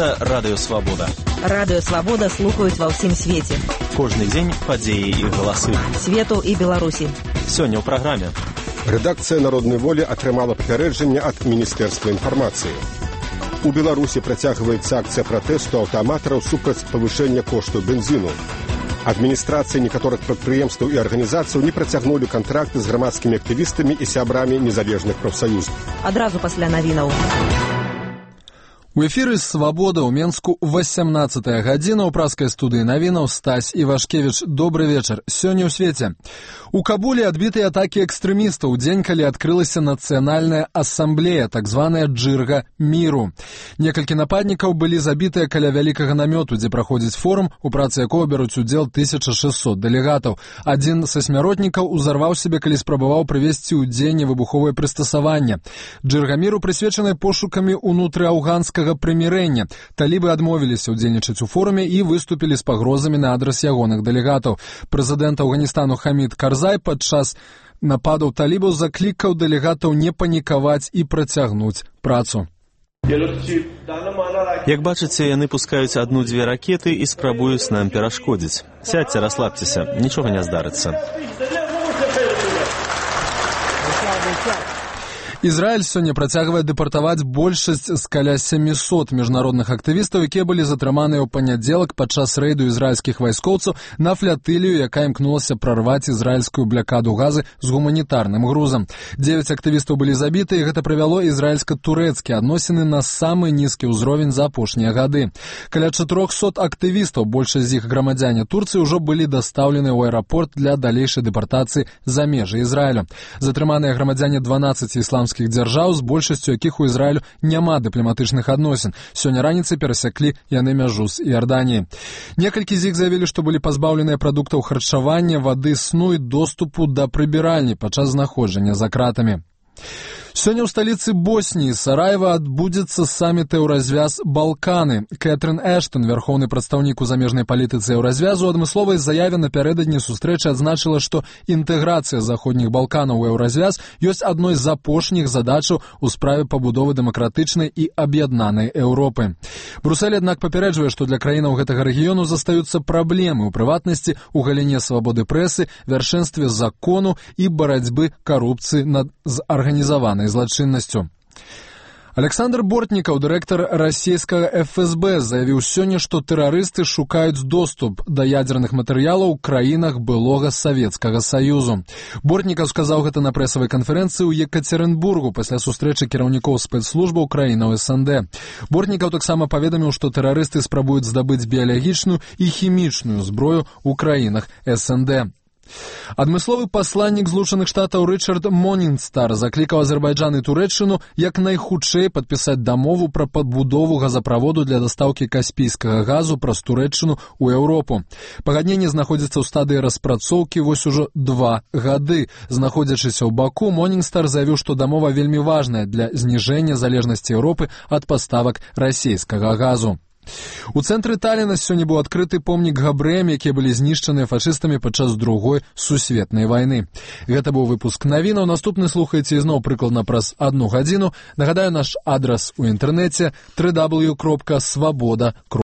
Гэта Радыё Свабода. Радыё Свабода слухаюць ва ўсім свеце. Кожны дзень падзеі і галасы. Свету і Беларусі. Сёння ў праграме. Рэдакцыя «Народнай волі» атрымала папярэджанне ад Міністэрства інфармацыі. У Беларусі працягваецца акцыя пратэсту аўтаматараў супраць павышэння кошту бензіну. Адміністрацыі некаторых прадпрыемстваў і арганізацыяў не працягнулі кантракты з грамадскімі актывістамі і сябрамі незалежных прафсаюз. Адразу пасля навінаў. У эфіры «Свабода» ў Менску 18-я гадзіна. У праскай студыі навінаў Стась Івашкевіч. Добры вечар. Сёння ў свеце. У Кабуле адбітыя атакі экстрэмістаў у дзень, калі адкрылася нацыянальная асамблея, так званая «Джырга міру». Некалькі нападнікаў былі забітыя каля вялікага намёту, дзе праходзіць форум, у працы якога бяруць удзел 1600 дэлегатаў. Адзін са смяротнікаў узарваў сябе, калі спрабаваў прывесці ў дзеянне выбуховае прыстасаванне. «Джырга міру» прысвечаныя пошукамі ўнутры афганскага прымірэння. Талібы адмовіліся ўдзельнічаць у форуме і выступілі з пагрозамі на адрас ягоных дэлегатаў. Прэзідэнт Афганістану Хамід Карзай падчас нападаў талібаў заклікаў дэлегатаў не панікаваць і працягнуць працу. Як бачыце, яны пускаюць адну-дзве ракеты і спрабуюць нам перашкодзіць. Сядьце, расслабцеся, нічога не здарыцца. Ізраіль сёння працягвае дэпартаваць большасць з каля 700 міжнародных актывістаў, якія былі затрыманыя ў панядзелак падчас рэйду ізраільскіх вайскоўцаў на флатылію, якая імкнулася прарваць ізраільскую блякаду газы з гуманітарным грузам. 9 актывістаў былі забіты, і гэта прывяло ізраільска-турэцкія адносіны на самы нізкі ўзровень за апошнія гады. Каля 400 актывістаў, большасць з іх грамадзяне Турцыі, ўжо былі дастаўлены ў аэрапорт для далейшай дэпартацыі за межы Ізраілю. Затрыманыя грамадзяне 12 ісламскіх дзяржаў, з большасцю якіх у Ізраілю няма дыпламатычных адносін. Сёння раніцай перасяклі яны мяжу з Іорданіяй. Некалькі з іх заявілі, што былі пазбаўленыя прадуктаў харчавання, вады, сну і доступу да прыбіральні падчас знаходжання за кратамі. Сёння ў сталіцы Босніі, Сараева, адбудзецца саміт Еўразвяз «Балканы». Кэтрын Эштон, вярхоўны прадстаўнік у замежнай палітыцы Еўразвязу, у адмысловай заяве напярэдадні сустрэчы адзначыла, што інтэграцыя заходніх Балканаў у Еўразвяз ёсць адной з апошніх задачаў у справе пабудовы дэмакратычнай і аб'яднанай Еўропы. Брусэль, аднак, папярэджвае, што для краінаў гэтага рэгіёну застаюцца праблемы, у прыватнасці, у галіне свабоды прэсы, вяршэнстве закону і барацьбы карупцыі з арганізаванай злачыннасцю. Александр Бортнікаў, дырэктар расійскага ФСБ, заявіў сёння, што тэрарысты шукаюць доступ да ядзерных матэрыялаў у краінах былога Савецкага Саюзу. Бортнікаў сказаў гэта на прэсавай канферэнцыі ў Екацерынбургу пасля сустрэчы кіраўнікоў спецслужбаў краінаў СНД. Бортнікаў таксама паведаміў, што тэрарысты спрабуюць здабыць біялагічную і хімічную зброю ў краінах СНД. Адмысловы пасланнік Злучаных Штатаў Рычард Монінстар заклікаў Азербайджан і Турэччыну як найхутчэй падпісаць дамову пра падбудову газаправоду для дастаўкі каспійскага газу праз Турэччыну ў Еўропу. Пагадненне знаходзіцца ў стадыі распрацоўкі вось ужо 2 гады. Знаходзячыся ў Баку, Монінстар заявіў, што дамова вельмі важная для зніжэння залежнасці Еўропы ад паставак расійскага газу. У цэнтры Таліна сёння быў адкрыты помнік габрэям, якія былі знішчаныя фашыстамі падчас Другой сусветнай вайны. Гэта быў выпуск навінаў. Наступны слухаеце ізноў прыкладна праз 1 гадзіну. Нагадаю, наш адрас у інтэрнэце www.svoboda.ru.